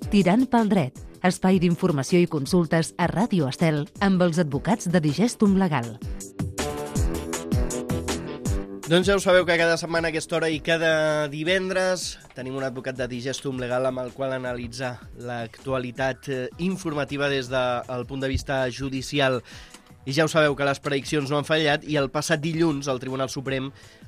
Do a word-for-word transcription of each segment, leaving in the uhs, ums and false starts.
Tirant pel dret, espai d'informació i consultes a Ràdio Estel amb els advocats de Digestum Legal. Doncs ja ho sabeu que cada setmana a aquesta hora i cada divendres tenim un advocat de Digestum Legal amb el qual analitzar l'actualitat informativa des del punt de vista judicial. I ja ho sabeu que les prediccions no han fallat i el passat dilluns el Tribunal Suprem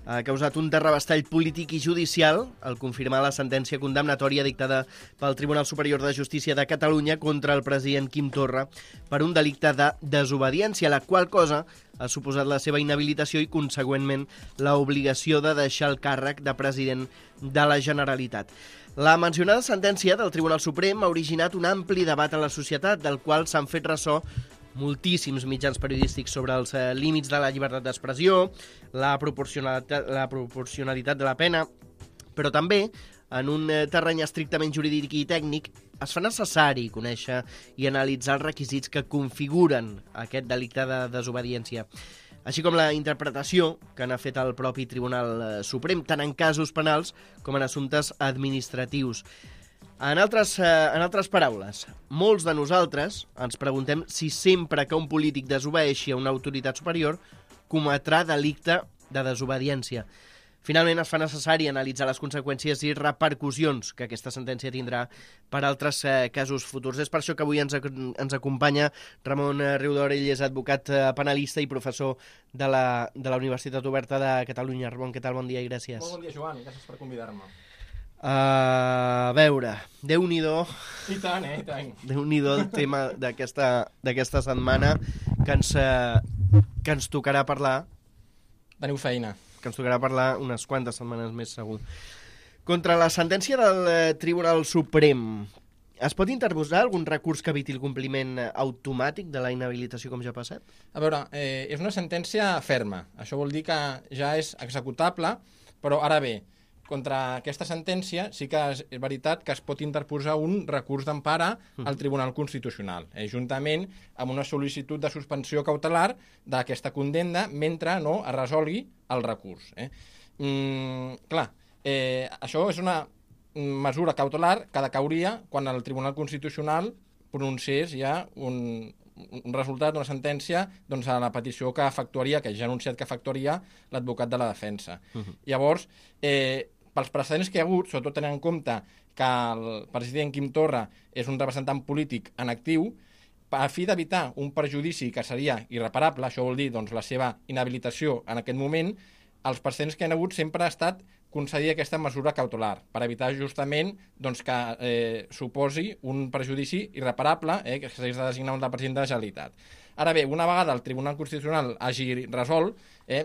ha causat un terrabastall polític i judicial al confirmar la sentència condemnatòria dictada pel Tribunal Superior de Justícia de Catalunya contra el president Quim Torra per un delicte de desobediència, la qual cosa ha suposat la seva inhabilitació i, consegüentment, l'obligació de deixar el càrrec de president de la Generalitat. La mencionada sentència del Tribunal Suprem ha originat un ampli debat a la societat, del qual s'han fet ressò moltíssims mitjans periodístics sobre els eh, límits de la llibertat d'expressió, la proporcionalitat, la proporcionalitat de la pena, però també, en un eh, terreny estrictament jurídic i tècnic, es fa necessari conèixer i analitzar els requisits que configuren aquest delicte de desobediència, així com la interpretació que n'ha fet el propi Tribunal Suprem, tant en casos penals com en assumptes administratius. En altres, eh, en altres paraules, molts de nosaltres ens preguntem si sempre que un polític desobeeixi a una autoritat superior cometrà delicte de desobediència. Finalment, es fa necessari analitzar les conseqüències i repercussions que aquesta sentència tindrà per altres eh, casos futurs. És per això que avui ens, ens acompanya Ramon Riudor, ell és advocat eh, penalista i professor de la, de la Universitat Oberta de Catalunya. Ramon, què tal? Bon dia i gràcies. Molt bon dia, Joan, gràcies per convidar-me. Uh, a veure, Déu-n'hi-do. I tant, eh, i tant. Déu-n'hi-do el tema d'aquesta d'aquesta setmana que ens, uh, que ens tocarà parlar. Teniu feina. Que ens tocarà parlar unes quantes setmanes més, segur. Contra la sentència del uh, Tribunal Suprem, es pot interposar algun recurs que eviti el compliment automàtic de la inhabilitació, com ja ha passat? A veure, eh, és una sentència ferma. Això vol dir que ja és executable, però ara bé, contra aquesta sentència sí que és veritat que es pot interposar un recurs d'empara al Tribunal Constitucional, eh, juntament amb una sol·licitud de suspensió cautelar d'aquesta condemna mentre no es resolgui el recurs. Eh. Mm, clar, eh, això és una mesura cautelar que decauria quan el Tribunal Constitucional pronunciés ja un, un resultat, una sentència, doncs, a la petició que efectuaria, que ja ha anunciat que efectuaria l'advocat de la defensa. Uh-huh. Llavors, eh, pels precedents que hi ha hagut, sobretot tenint en compte que el president Quim Torra és un representant polític en actiu, a fi d'evitar un perjudici que seria irreparable, això vol dir doncs, la seva inhabilitació en aquest moment, els precedents que hi ha hagut sempre ha estat concedir aquesta mesura cautelar, per evitar justament doncs, que eh, suposi un perjudici irreparable eh, que s'hagi de designar un president de la Generalitat. Ara bé, una vegada el Tribunal Constitucional hagi resolt, eh,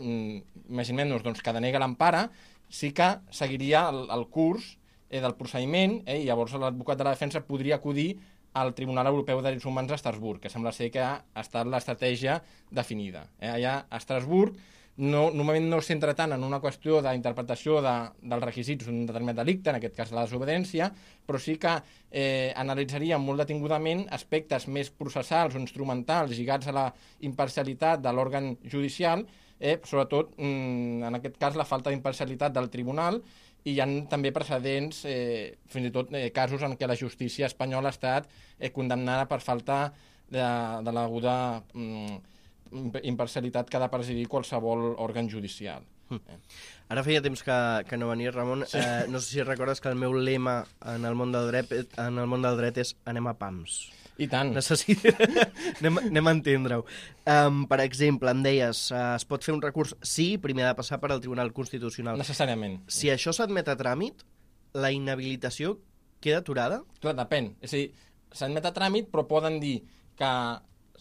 imaginem-nos doncs, que denega l'empara, sí que seguiria el, el curs eh, del procediment eh, i llavors l'advocat de la defensa podria acudir al Tribunal Europeu de Drets Humans a Estrasburg, que sembla ser que ha estat l'estratègia definida. Eh, allà a Estrasburg no, normalment no es centra tant en una qüestió d'interpretació de, dels requisits d'un determinat delicte, en aquest cas la desobediència, però sí que eh, analitzaria molt detingudament aspectes més processals o instrumentals lligats a la imparcialitat de l'òrgan judicial, Eh, sobretot, en aquest cas, la falta d'imparcialitat del tribunal, i hi ha també precedents, eh, fins i tot eh, casos en què la justícia espanyola ha estat eh, condemnada per falta de, de l'aguda mm, imparcialitat que ha de presidir qualsevol òrgan judicial. Eh. Ara feia temps que, que no venia, Ramon. Sí. Eh, no sé si recordes que el meu lema en el món del dret, en el món del dret és anem a pams. I tant. Necessita... anem, anem a entendre-ho. Um, per exemple, em deies, uh, es pot fer un recurs? Sí, primer ha de passar per al Tribunal Constitucional. Necessàriament. Si això s'admet a tràmit, la inhabilitació queda aturada? Clar, depèn. És a dir, s'admet a tràmit, però poden dir que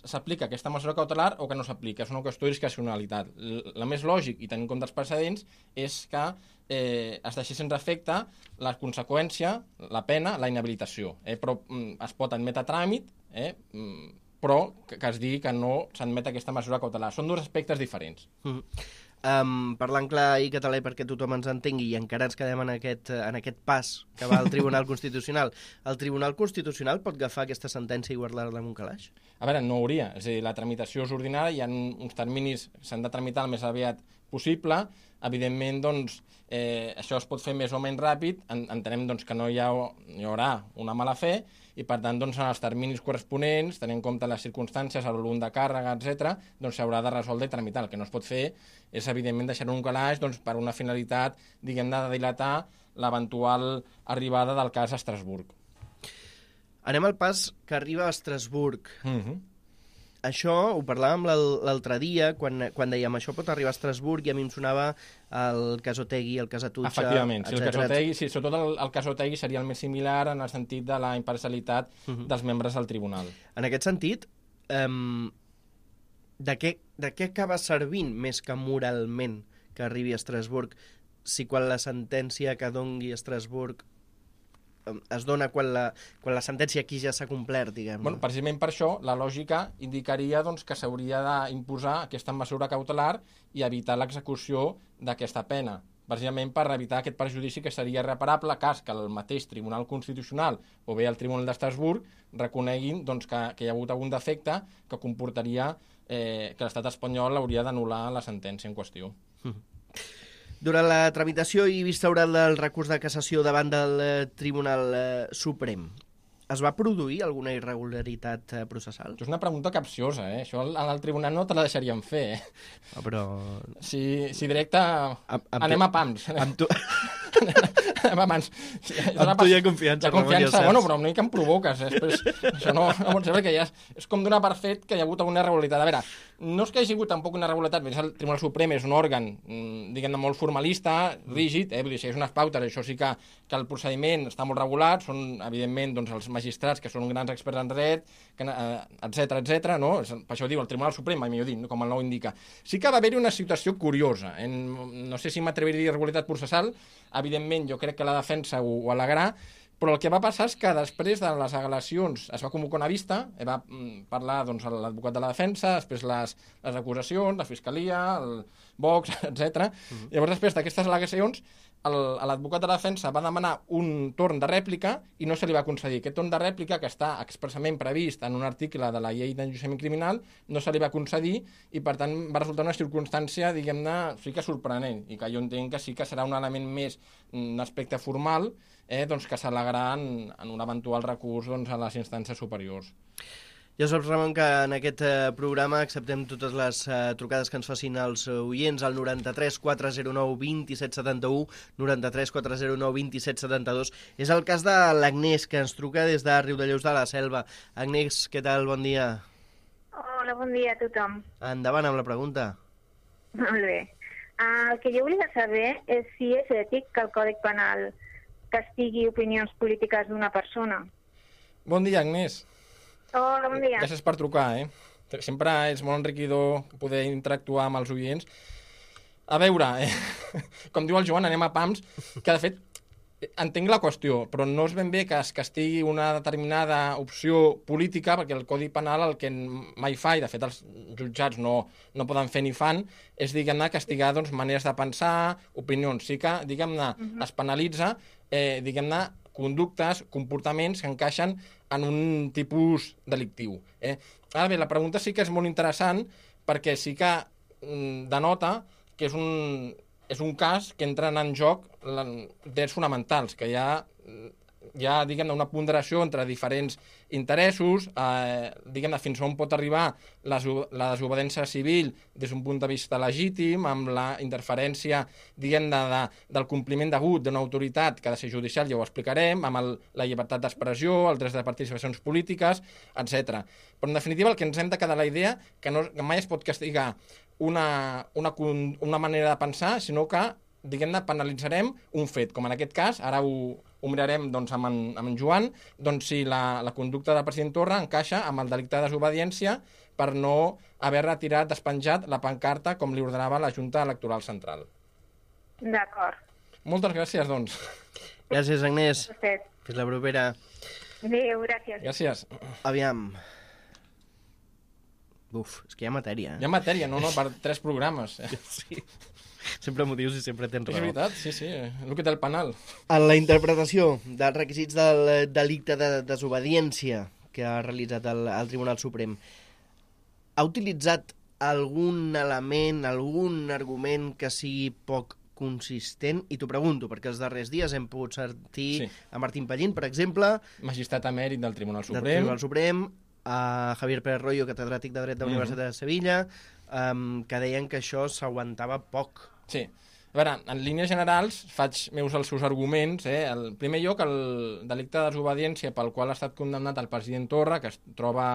s'aplica aquesta mesura cautelar o que no s'aplica. És una qüestió de discrecionalitat. La més lògic, i tenint en compte els precedents, és que eh, es deixi sense efecte la conseqüència, la pena, la inhabilitació. Eh? Però mm, es pot admetre a tràmit, eh? mm, però que, que es digui que no s'admet aquesta mesura cautelar. Són dos aspectes diferents. Mm-hmm. Um, parlant clar i català perquè tothom ens entengui, i encara ens quedem en aquest, en aquest pas que va al Tribunal Constitucional, el Tribunal Constitucional pot agafar aquesta sentència i guardar-la en un calaix? A veure, no hauria. És a dir, la tramitació és ordinària, hi ha uns terminis que s'han de tramitar el més aviat possible. Evidentment, doncs, eh, això es pot fer més o menys ràpid. En, entenem doncs, que no hi, ha, hi haurà una mala fe i, per tant, doncs, en els terminis corresponents, tenint en compte les circumstàncies, el volum de càrrega, etcètera, doncs s'haurà de resoldre i tramitar. El que no es pot fer és, evidentment, deixar un calaix doncs, per una finalitat, diguem-ne, de dilatar l'eventual arribada del cas a Estrasburg. Anem al pas que arriba a Estrasburg. Uh-huh. Això ho parlàvem l'altre dia, quan, quan dèiem això pot arribar a Estrasburg, i a mi em sonava el cas Otegi, el cas Atutxa... Efectivament, sí, el cas Otegi, sí, sobretot el, el cas Otegi seria el més similar en el sentit de la imparcialitat uh-huh. dels membres del tribunal. En aquest sentit, um, de, què, de què acaba servint més que moralment que arribi a Estrasburg, si quan la sentència que dongui a Estrasburg es dona quan la, quan la sentència aquí ja s'ha complert, diguem. Bueno, precisament per això, la lògica indicaria doncs, que s'hauria d'imposar aquesta mesura cautelar i evitar l'execució d'aquesta pena, precisament per evitar aquest perjudici que seria irreparable cas que el mateix Tribunal Constitucional o bé el Tribunal d'Estrasburg reconeguin doncs, que, que hi ha hagut algun defecte que comportaria eh, que l'estat espanyol hauria d'anul·lar la sentència en qüestió. Mm. Durant la tramitació i vista oral del recurs de cassació davant del eh, Tribunal eh, Suprem, es va produir alguna irregularitat eh, processal? És una pregunta capciosa, eh? Això en el tribunal no te la deixaríem fer, eh? Oh, però... Si, si directe amb, amb anem tu... a pams. Amb tu... anem a mans. Amb tu hi ha confiança, hi ha confiança, bueno, però una mica em provoques, eh? Després, això no, no pot ser, perquè ja és, és com donar per fet que hi ha hagut alguna irregularitat. A veure, no és que hi hagi hagut tampoc una irregularitat, perquè el Tribunal Suprem és un òrgan, diguem-ne, molt formalista, rígid, eh? Vull dir, si és unes pautes, això sí que, que el procediment està molt regulat, són, evidentment, doncs, els magistrats, que són grans experts en dret, etcètera, etcètera, no? Per això ho diu el Tribunal Suprem, mai millor dit, com el nou indica. Sí que va haver-hi una situació curiosa, en, no sé si m'atreviria a dir irregularitat processal, evidentment jo crec que la defensa ho, ho al·legarà, però el que va passar és que després de les al·legacions es va convocar una vista, va parlar doncs, l'advocat de la defensa, després les, les acusacions, la fiscalia, el Vox, etcètera. Uh-huh. Llavors, després d'aquestes al·legacions, l'advocat de la defensa va demanar un torn de rèplica i no se li va concedir. Aquest torn de rèplica, que està expressament previst en un article de la llei d'enjudiciament criminal, no se li va concedir i, per tant, va resultar una circumstància, diguem-ne, sí que sorprenent, i que jo entenc que sí que serà un element més, un aspecte formal, eh, doncs que s'al·legarà en, en un eventual recurs doncs, a les instàncies superiors. Ja saps, Ramon, que en aquest eh, programa acceptem totes les eh, trucades que ens facin els oients al noranta-tres quatre zero nou vint set setanta-u, noranta-tres quatre zero nou vint set setanta-dos. És el cas de l'Agnès, que ens truca des de Riudellots de la Selva. Agnès, què tal? Bon dia. Hola, bon dia a tothom. Endavant amb la pregunta. Molt bé. Uh, el que jo volia saber és si és ètic que el Codi Penal castigui opinions polítiques d'una persona. Bon dia, Agnès. Hola, bon dia. Gràcies per trucar, eh? Sempre és molt enriquidor poder interactuar amb els oients. A veure, eh? Com diu el Joan, anem a pams, que de fet entenc la qüestió, però no és ben bé que es castigui una determinada opció política, perquè el Codi Penal el que mai fa, i de fet els jutjats no, no poden fer ni fan, és, diguem-ne, castigar doncs, maneres de pensar, opinions. Sí que, diguem-ne, uh-huh. es penalitza, eh, diguem-ne, conductes, comportaments que encaixen en un tipus delictiu. Eh? Ara bé, la pregunta sí que és molt interessant perquè sí que mm, denota que és un, és un cas que entren en joc drets fonamentals, que hi ha, hi ha diguem-ne, una ponderació entre diferents interessos, eh, diguem-ne, fins on pot arribar la, la desobediència civil des d'un punt de vista legítim, amb la interferència, diguem-ne, de, del compliment degut d'una autoritat que ha de ser judicial, ja ho explicarem, amb el, la llibertat d'expressió, els drets de participacions polítiques, etcètera. Però, en definitiva, el que ens hem de quedar la idea que, no, que mai es pot castigar una, una, una manera de pensar, sinó que, diguem-ne, penalitzarem un fet, com en aquest cas, ara ho, ho mirarem doncs, amb, en, amb en Joan, doncs, si la, la conducta del president Torra encaixa amb el delicte de desobediència per no haver retirat, despenjat la pancarta com li ordenava la Junta Electoral Central. D'acord. Moltes gràcies, doncs. Gràcies, Agnès. Fins la propera. Adéu, gràcies. Gràcies. Aviam. Uf, és que hi ha matèria. Eh? Hi ha matèria, no, no, per tres programes. Eh? Sí. Sempre m'ho dius i sempre tens raó. És veritat, sí, sí, el que té el penal. En la interpretació dels requisits del delicte de desobediència que ha realitzat el, el Tribunal Suprem, ha utilitzat algun element, algun argument que sigui poc consistent? I t'ho pregunto, perquè els darrers dies hem pogut sentir sí. a Martín Pallín, per exemple, magistrat emèrit del Tribunal Suprem, del Tribunal Suprem, a Javier Pérez Royo, catedràtic de Dret de la mm. Universitat de Sevilla, um, que deien que això s'aguantava poc. Sí. A veure, en línies generals, faig meus els seus arguments. Eh? En primer lloc, el delicte de desobediència pel qual ha estat condemnat el president Torra, que es troba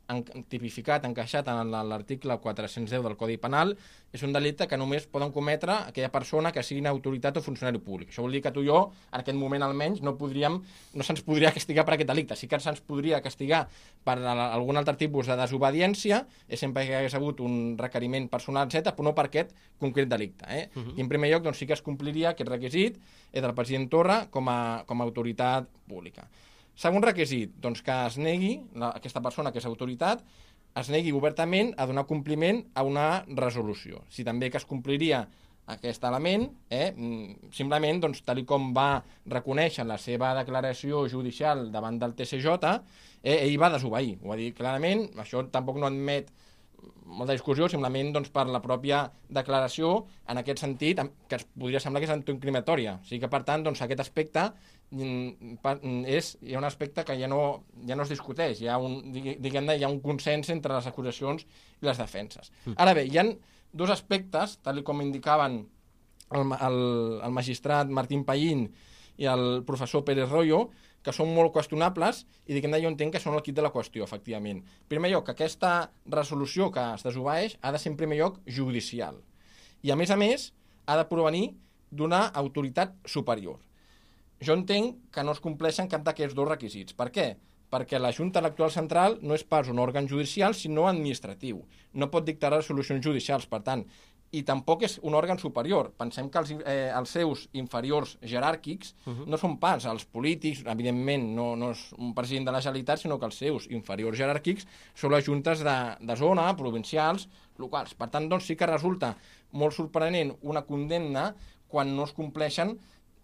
en, tipificat, encaixat en l'article quatre-cents deu del Codi Penal, és un delicte que només poden cometre aquella persona que sigui una autoritat o funcionari públic. Això vol dir que tu i jo, en aquest moment almenys, no podríem, no se'ns podria castigar per aquest delicte. Sí que se'ns podria castigar per algun altre tipus de desobediència, és sempre que hagués hagut un requeriment personal, etcètera, però no per aquest concret delicte. Eh? Uh-huh. I en primer lloc, doncs, sí que es compliria aquest requisit eh, del president Torra com a, com a autoritat pública. Segon requisit, doncs que es negui, la, aquesta persona que és autoritat, es negui obertament a donar compliment a una resolució. Si també que es compliria aquest element, eh, simplement, doncs, tal com va reconèixer la seva declaració judicial davant del T C J, eh, ell va desobeir. Ho va dir clarament, això tampoc no admet molta discussió, simplement doncs, per la pròpia declaració, en aquest sentit, que es podria semblar que és autoincriminatòria. O sigui que, per tant, doncs, aquest aspecte és, hi ha un aspecte que ja no, ja no es discuteix, hi ha, un, diguem-ne, hi ha un consens entre les acusacions i les defenses. Ara bé, hi ha dos aspectes, tal com indicaven el, el, el magistrat Martín Pallín i el professor Pérez Royo, que són molt qüestionables i diguem-ne jo entenc que són el quid de la qüestió, efectivament. En primer lloc, que aquesta resolució que es desobeeix ha de ser en primer lloc judicial. I a més a més ha de provenir d'una autoritat superior. Jo entenc que no es compleixen cap d'aquests dos requisits. Per què? Perquè la Junta Electoral Central no és pas un òrgan judicial, sinó administratiu. No pot dictar resolucions judicials, per tant, i tampoc és un òrgan superior. Pensem que els, eh, els seus inferiors jeràrquics uh-huh. no són pas els polítics, evidentment no, no és un president de la Generalitat, sinó que els seus inferiors jeràrquics són les juntes de, de zona, provincials, locals. Per tant, doncs sí que resulta molt sorprenent una condemna quan no es compleixen,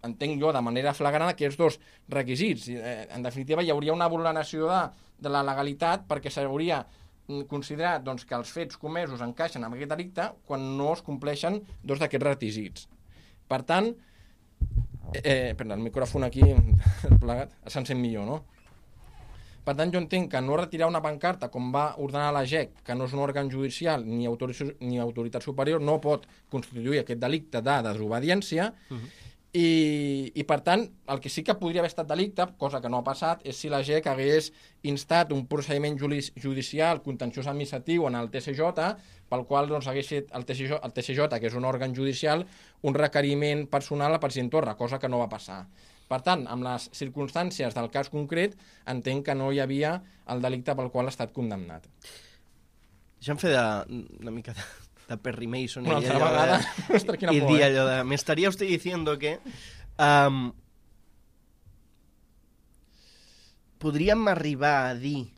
entenc jo, de manera flagrant aquests dos requisits. Eh, en definitiva, hi hauria una vulneració de, de la legalitat perquè s'hauria considerat doncs, que els fets comesos encaixen amb aquest delicte quan no es compleixen dos d'aquests requisits. Per tant, eh, perdó, el micròfon aquí plegat, se'n sent millor, no? Per tant, jo entenc que no retirar una pancarta, com va ordenar la G E C, que no és un òrgan judicial ni, autoritat, ni autoritat superior, no pot constituir aquest delicte de desobediència, uh-huh. I, i per tant, el que sí que podria haver estat delicte, cosa que no ha passat, és si la G E C hagués instat un procediment judicial contenciós administratiu en el T C J, pel qual doncs, hagués fet el T C J, el T C J, que és un òrgan judicial, un requeriment personal al president Torra, cosa que no va passar. Per tant, amb les circumstàncies del cas concret, entenc que no hi havia el delicte pel qual ha estat condemnat. Deixa'm fer de, una mica de... de Perry Mason una altra vegada de, y dir allò de me estaría usted diciendo que um, podríem arribar a dir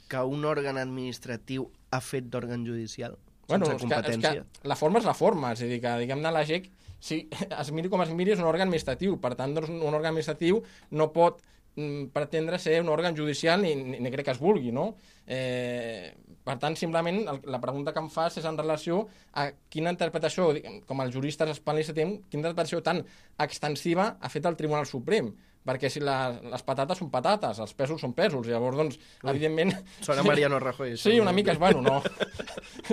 que un òrgan administratiu ha fet d'òrgan judicial bueno, sense competència? És que la forma és la forma, és a dir, que diguem-ne la G E C, si es miri com es miri, és un òrgan administratiu, per tant, doncs, un òrgan administratiu no pot mm, pretendre ser un òrgan judicial ni, ni, ni crec que es vulgui, no? Eh, per tant, simplement, el, la pregunta que em fas és en relació a quina interpretació, com els juristes espanyols tenim, quina interpretació tan extensiva ha fet el Tribunal Suprem, perquè si la, les patates són patates, els pèsols són pèsols, llavors, doncs, Ui, evidentment... Sona Mariano Rajoy. Sí, una mica, és bueno, no.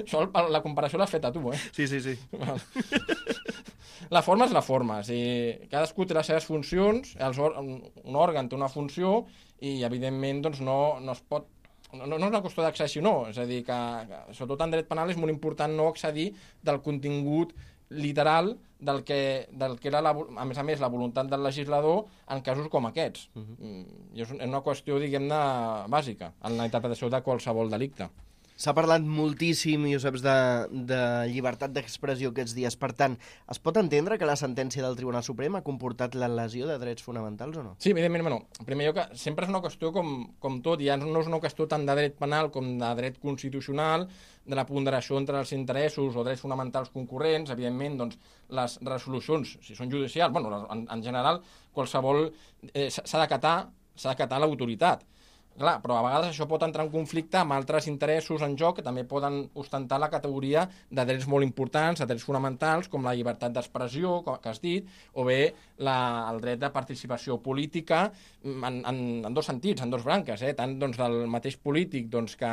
Això, la comparació l'has fet a tu, eh? Sí, sí, sí. La forma és la forma, o sigui, cadascú té les seves funcions, els, un òrgan té una funció i, evidentment, doncs, no, no es pot No, no és una qüestió d'accessió, no. És a dir, que, que sobretot en dret penal és molt important no accedir del contingut literal del que, del que era, la, a més a més, la voluntat del legislador en casos com aquests. Uh-huh. I és una qüestió, diguem-ne, bàsica en la interpretació de qualsevol delicte. S'ha parlat moltíssim, Joseps, de, de llibertat d'expressió aquests dies. Per tant, es pot entendre que la sentència del Tribunal Suprem ha comportat la lesió de drets fonamentals o no? Sí, evidentment, bueno, en primer lloc, sempre és una qüestió com, com tot, ja no és una qüestió tant de dret penal com de dret constitucional, de la ponderació entre els interessos o drets fonamentals concurrents. Evidentment, doncs, les resolucions, si són judicials, bueno, en, en general, qualsevol eh, s'ha d'acatar, s'ha d'acatar l'autoritat. Clar, però a vegades això pot entrar en conflicte amb altres interessos en joc que també poden ostentar la categoria de drets molt importants, de drets fonamentals, com la llibertat d'expressió, que has dit, o bé la, el dret de participació política en, en, en dos sentits, en dos branques, eh? Tant doncs, del mateix polític doncs, que,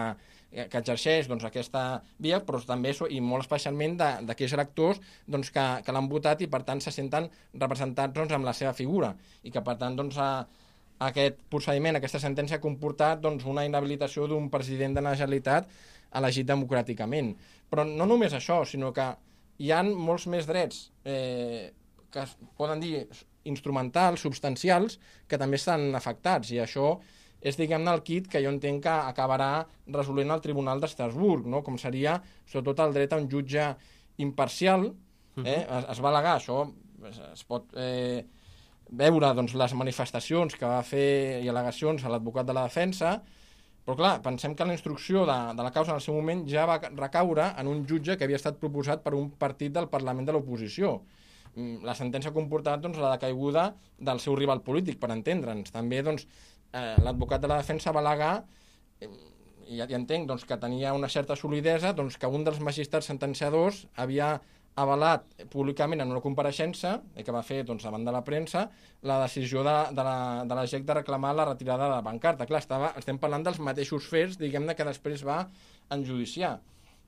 que exerceix doncs, aquesta via, però també, i molt especialment, d'aquells electors doncs, que, que l'han votat i, per tant, se senten representats doncs, amb la seva figura i que, per tant, doncs, a, aquest procediment, aquesta sentència ha comportat doncs, una inhabilitació d'un president de la Generalitat elegit democràticament. Però no només això, sinó que hi ha molts més drets eh, que es poden dir instrumentals, substancials, que també estan afectats, i això és, diguem-ne, el kit que jo entenc que acabarà resolent el Tribunal d'Estrasburg, no? Com seria, sobretot, el dret a un jutge imparcial. Eh? Es, es va al·legar, això es, es pot... Eh, veure doncs, les manifestacions que va fer i al·legacions a l'advocat de la defensa, però clar, pensem que la instrucció de, de la causa en el seu moment ja va recaure en un jutge que havia estat proposat per un partit del Parlament de l'oposició. La sentència ha comportat doncs, la decaiguda del seu rival polític, per entendre'ns. També doncs, eh, l'advocat de la defensa va al·legar, eh, i ja, ja entenc doncs, que tenia una certa solidesa, doncs, que un dels magistrats sentenciadors havia avalat públicament en una compareixença que va fer doncs, davant de la premsa la decisió de, de, la, de la G E C de reclamar la retirada de la pancarta. Clar, estava, estem parlant dels mateixos fets, diguem-ne, que després va enjudiciar.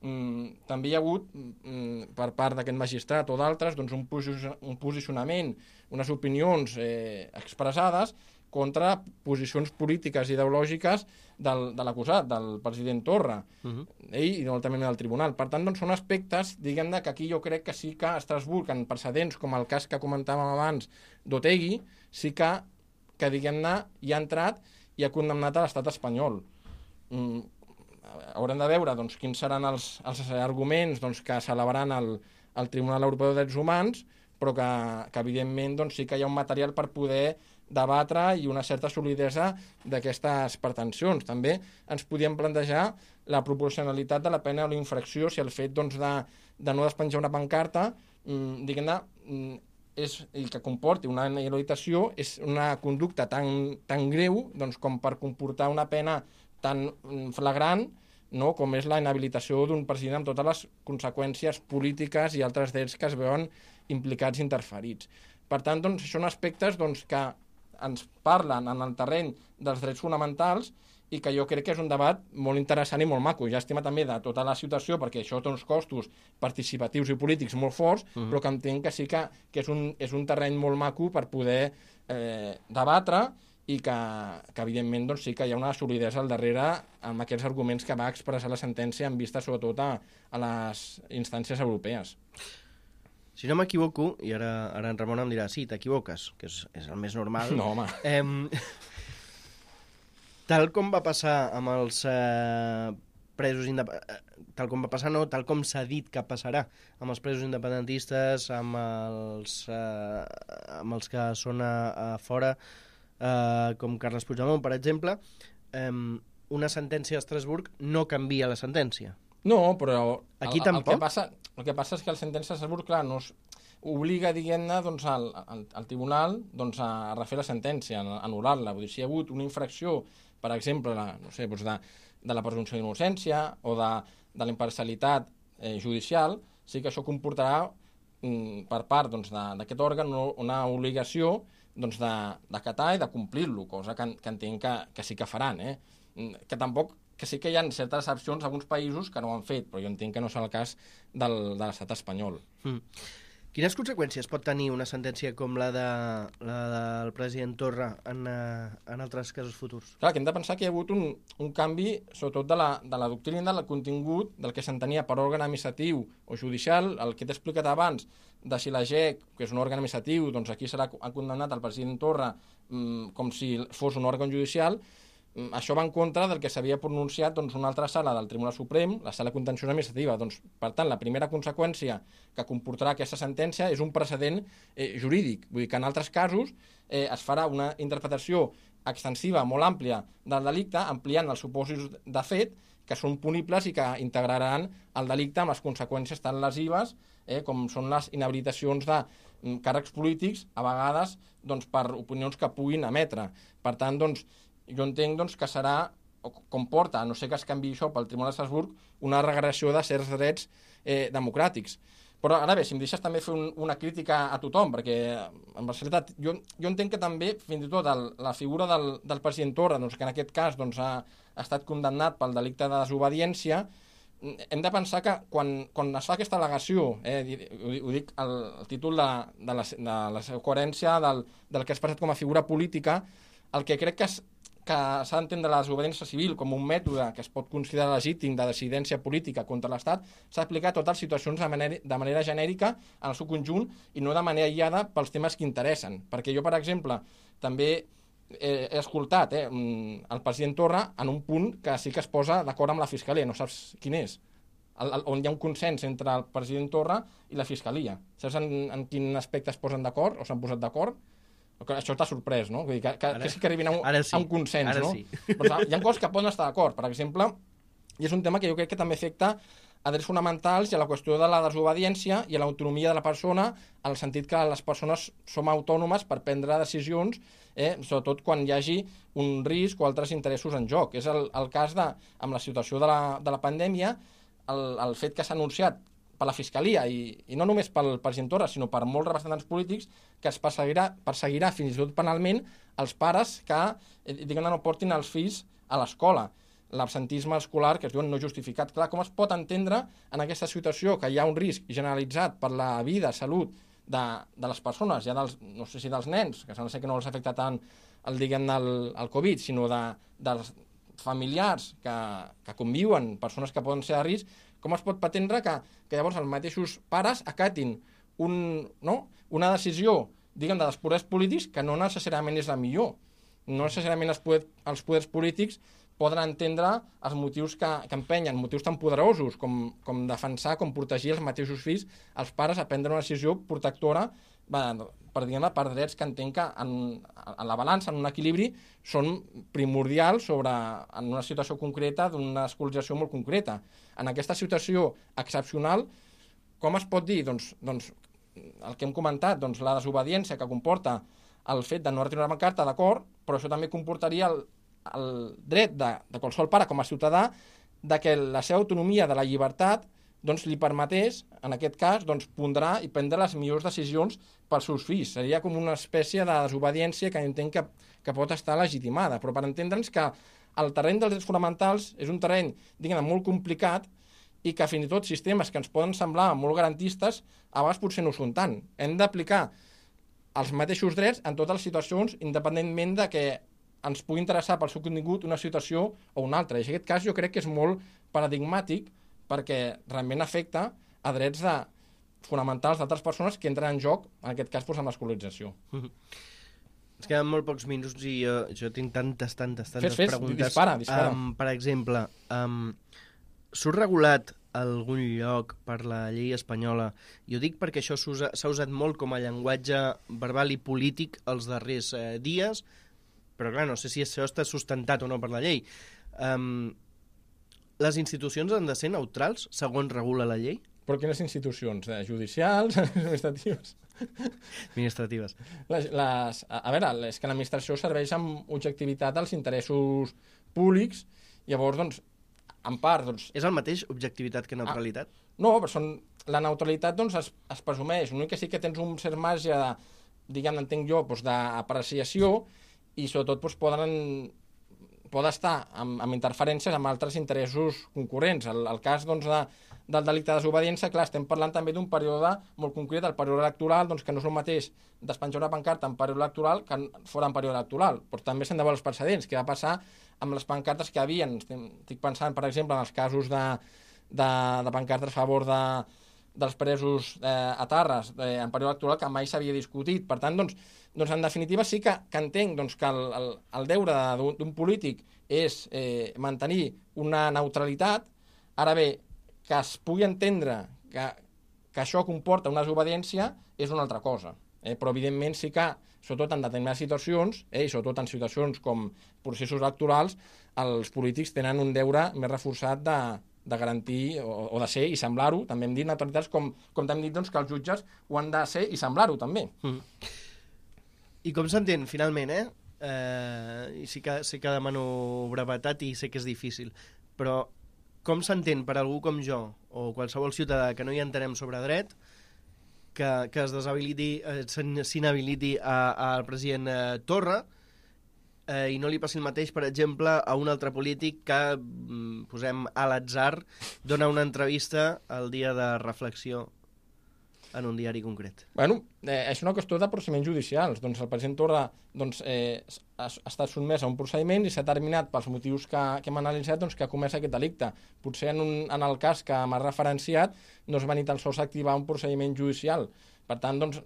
Mm, també hi ha hagut, mm, per part d'aquest magistrat o d'altres, doncs, un, posi un posicionament, unes opinions eh, expressades contra posicions polítiques i ideològiques del, de l'acusat, del president Torra, uh-huh. ell i també del tribunal. Per tant, doncs, són aspectes, diguem-ne, que aquí jo crec que sí que a Estrasburg, en precedents com el cas que comentàvem abans d'Otegi, sí que, que diguem-ne, hi ha entrat i ha condemnat a l'estat espanyol. Mm, haurem de veure doncs, quins seran els, els arguments doncs, que s'elevaran al, al Tribunal Europeu de Drets Humans, però que, que evidentment doncs, sí que hi ha un material per poder debatre i una certa solidesa d'aquestes pretensions. També ens podíem plantejar la proporcionalitat de la pena o la infracció si el fet doncs, de, de no despenjar una pancarta mmm, diguem-ne, és, i que comporti una inhabilitació és una conducta tan, tan greu doncs, com per comportar una pena tan flagrant, no? Com és la inhabilitació d'un president amb totes les conseqüències polítiques i altres drets que es veuen implicats i interferits. Per tant, doncs, són aspectes doncs, que ens parlen en el terreny dels drets fonamentals i que jo crec que és un debat molt interessant i molt maco. Llàstima també de tota la situació, perquè això té uns costos participatius i polítics molt forts, uh-huh. però que entenc que sí que, que és, un, és un terreny molt maco per poder eh, debatre i que, que evidentment doncs, sí que hi ha una solidesa al darrere amb aquests arguments que va expressar la sentència en vista sobretot a, a les instàncies europees. Si no m'equivoco, i ara, ara en Ramon em dirà, sí, t'equivoques, que és, és el més normal. No, home. Eh, tal com va passar amb els eh, presos independentistes, tal com va passar, no, tal com s'ha dit que passarà amb els presos independentistes, amb els, eh, amb els que són a, a fora, eh, com Carles Puigdemont, per exemple, eh, una sentència a Estrasburg no canvia la sentència. No, però aquí el, tampoc. El que, passa, el que passa és que el sentència de Estrasburg, clar, no es obliga, diguem-ne, doncs, al, al, al tribunal doncs, a refer la sentència, a anul·lar-la. Vull dir, si hi ha hagut una infracció, per exemple, la, no sé, doncs de, de la presumpció d'innocència o de, de la imparcialitat eh, judicial, sí que això comportarà mm, per part doncs, d'aquest òrgan una obligació doncs, d'acatar i de complir-lo, cosa que, que entenc que, que sí que faran, eh? Que tampoc que sí que hi ha certes excepcions a alguns països que no ho han fet, però jo entenc que no és el cas del, de l'estat espanyol. Mm. Quines conseqüències pot tenir una sentència com la, de, la del president Torra en, en altres casos futurs? Clar, que hem de pensar que hi ha hagut un, un canvi, sobretot de la, de la doctrina, del contingut, del que s'entenia per òrgan administratiu o judicial, el que t'he explicat abans, de si la G E C, que és un òrgan administratiu, doncs aquí serà condemnat el president Torra mmm, com si fos un òrgan judicial. Això va en contra del que s'havia pronunciat doncs, una altra sala del Tribunal Suprem, la sala contenciosa administrativa. Doncs, per tant, la primera conseqüència que comportarà aquesta sentència és un precedent eh, jurídic. Vull dir que en altres casos eh, es farà una interpretació extensiva, molt àmplia del delicte, ampliant els supòsits de fet que són punibles i que integraran el delicte amb les conseqüències tan lesives eh, com són les inhabilitacions de mm, càrrecs polítics, a vegades doncs, per opinions que puguin emetre. Per tant, doncs, jo entenc doncs, que serà, o comporta, a no ser que es canvi això pel Tribunal d'Estrasburg, una regressió de certs drets eh, democràtics. Però ara bé, si em deixes també fer un, una crítica a tothom, perquè en realitat jo, jo entenc que també, fins i tot, el, la figura del, del president Torra, doncs, que en aquest cas doncs, ha, ha estat condemnat pel delicte de desobediència, hem de pensar que quan, quan es fa aquesta al·legació, eh, ho, ho dic el, el títol de, de, la, de la coherència del, del que es presenta com a figura política, el que crec que es, que s'ha d'entendre la desobediència civil com un mètode que es pot considerar legítim de dissidència política contra l'Estat, s'ha d'aplicar a totes les situacions de manera, de manera genèrica en el seu conjunt i no de manera aïllada pels temes que interessen. Perquè jo, per exemple, també he, he escoltat eh, el president Torra en un punt que sí que es posa d'acord amb la Fiscalia, no saps quin és, el, el, on hi ha un consens entre el president Torra i la Fiscalia. Saps en, en quin aspecte es posen d'acord o s'han posat d'acord? Això t'ha sorprès, no? Vull dir que, que, ara, que sí que arribin a un, sí. a un consens, ara no? Sí. Però hi ha coses que poden estar d'acord. Per exemple, i és un tema que jo crec que també afecta a drets fonamentals i a la qüestió de la desobediència i a l'autonomia de la persona, en el sentit que les persones som autònomes per prendre decisions, eh, sobretot quan hi hagi un risc o altres interessos en joc. És el, el cas de, amb la situació de la, de la pandèmia, el, el fet que s'ha anunciat per la Fiscalia, i, i no només pel president Torra, sinó per molts representants polítics, que es perseguirà, perseguirà fins i tot penalment els pares que eh, diguem, no portin els fills a l'escola. L'absentisme escolar, que es diuen no justificat. Clar, com es pot entendre en aquesta situació que hi ha un risc generalitzat per la vida, salut de, de les persones, ja dels, no sé si dels nens, que sembla ser que no els afecta tant el, diguem, el, el Covid, sinó de, dels familiars que, que conviuen, persones que poden ser a risc, com es pot pretendre que, que llavors els mateixos pares acatin un, no? una decisió, diguem, dels poders polítics que no necessàriament és la millor. No necessàriament els, poder, els poders polítics poden entendre els motius que, que empenyen, motius tan poderosos com, com defensar, com protegir els mateixos fills, els pares a prendre una decisió protectora per, diguem, per drets que entenc que en, en la balança, en un equilibri, són primordials sobre, en una situació concreta d'una escolarització molt concreta. En aquesta situació excepcional, com es pot dir? Doncs, doncs el que hem comentat, doncs, la desobediència que comporta el fet de no retirar una carta, d'acord, però això també comportaria el, el dret de, de qualsevol pare com a ciutadà de que la seva autonomia de la llibertat doncs, li permetés, en aquest cas, doncs, pondrà i prendre les millors decisions pels seus fills. Seria com una espècie de desobediència que entenc que, que pot estar legitimada, però per entendre'ns que el terreny dels drets fonamentals és un terreny, diguem, molt complicat i que fins i tot sistemes que ens poden semblar molt garantistes a vegades potser no ho són tant. Hem d'aplicar els mateixos drets en totes les situacions, independentment de que ens pugui interessar pel seu contingut una situació o una altra. I en aquest cas jo crec que és molt paradigmàtic perquè realment afecta a drets de, fonamentals d'altres persones que entren en joc, en aquest cas, doncs, amb l'escolarització. Mm-hmm. Ens queden molt pocs minuts i jo, jo tinc tantes, tantes, tantes fes, fes, preguntes. Dispara, dispara. Um, per exemple, um, surt regulat algun lloc per la llei espanyola, i ho dic perquè això s'ha usat molt com a llenguatge verbal i polític els darrers eh, dies, però clar, no sé si això està sustentat o no per la llei. Um, les institucions han de ser neutrals, segons regula la llei? Però quines institucions? Eh, judicials? Administratives? Administratives. Les, les, a veure, és que l'administració serveix amb objectivitat als interessos públics, llavors, doncs, en part, doncs... És el mateix objectivitat que neutralitat? Ah, no, però són, la neutralitat, doncs, es, es presumeix. L'únic que sí que tens un cert marge de, diguem, entenc jo, doncs, d'apreciació, i sobretot doncs, poden, poden estar amb, amb interferències amb altres interessos concurrents. El, el cas, doncs, de, del delicte de desobediència, clar, estem parlant també d'un període molt concret, el període electoral, doncs, que no és el mateix despenjar una pancarta en període electoral que fora en període electoral. Però també s'han de veure els precedents. Què va passar amb les pancartes que hi havia? Estic pensant, per exemple, en els casos de, de, de pancartes a favor de, dels presos eh, a Tarres eh, en període electoral que mai s'havia discutit. Per tant, doncs, doncs en definitiva sí que, que entenc doncs, que el, el, el deure d'un polític és eh, mantenir una neutralitat. Ara bé, que es pugui entendre que, que això comporta una desobediència és una altra cosa. Eh? Però, evidentment, sí que, sobretot en determinades situacions, eh, i sobretot en situacions com processos electorals, els polítics tenen un deure més reforçat de, de garantir o, o de ser i semblar-ho. També hem dit neutralitats com, com hem dit doncs, que els jutges ho han de ser i semblar-ho, també. Mm. I com s'entén, finalment, eh? eh, i sí que, sí que demano brevetat i sé que és difícil, però com s'entén per algú com jo o qualsevol ciutadà que no hi entenem sobre dret que, que es deshabiliti, eh, s'inhabiliti al president eh, Torra eh, i no li passi el mateix, per exemple, a un altre polític que, mm, posem a l'atzar, dona una entrevista el dia de reflexió en un diari concret. Bueno, eh, és una qüestió de procediments judicials. Doncs el president Torra doncs, eh, ha, ha estat sotmès a un procediment i s'ha determinat pels motius que, que hem analitzat doncs, que ha comès aquest delicte. Potser en, un, en el cas que m'ha referenciat no es va ni tan sols activar un procediment judicial. Per tant, doncs,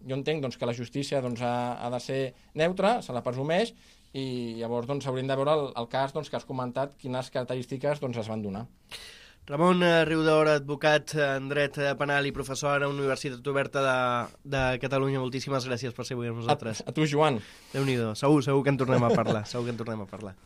jo entenc doncs, que la justícia doncs, ha, ha de ser neutra, se la presumeix, i llavors doncs, hauríem de veure el, el cas doncs, que has comentat, quines característiques doncs, es van donar. Ramon Riudaura, advocat en dret penal i professor a la Universitat Oberta de, de Catalunya. Moltíssimes gràcies per ser avui amb nosaltres. A, a tu, Joan. Déu-n'hi-do. Segur, segur que en tornem a parlar. Segur que en tornem a parlar.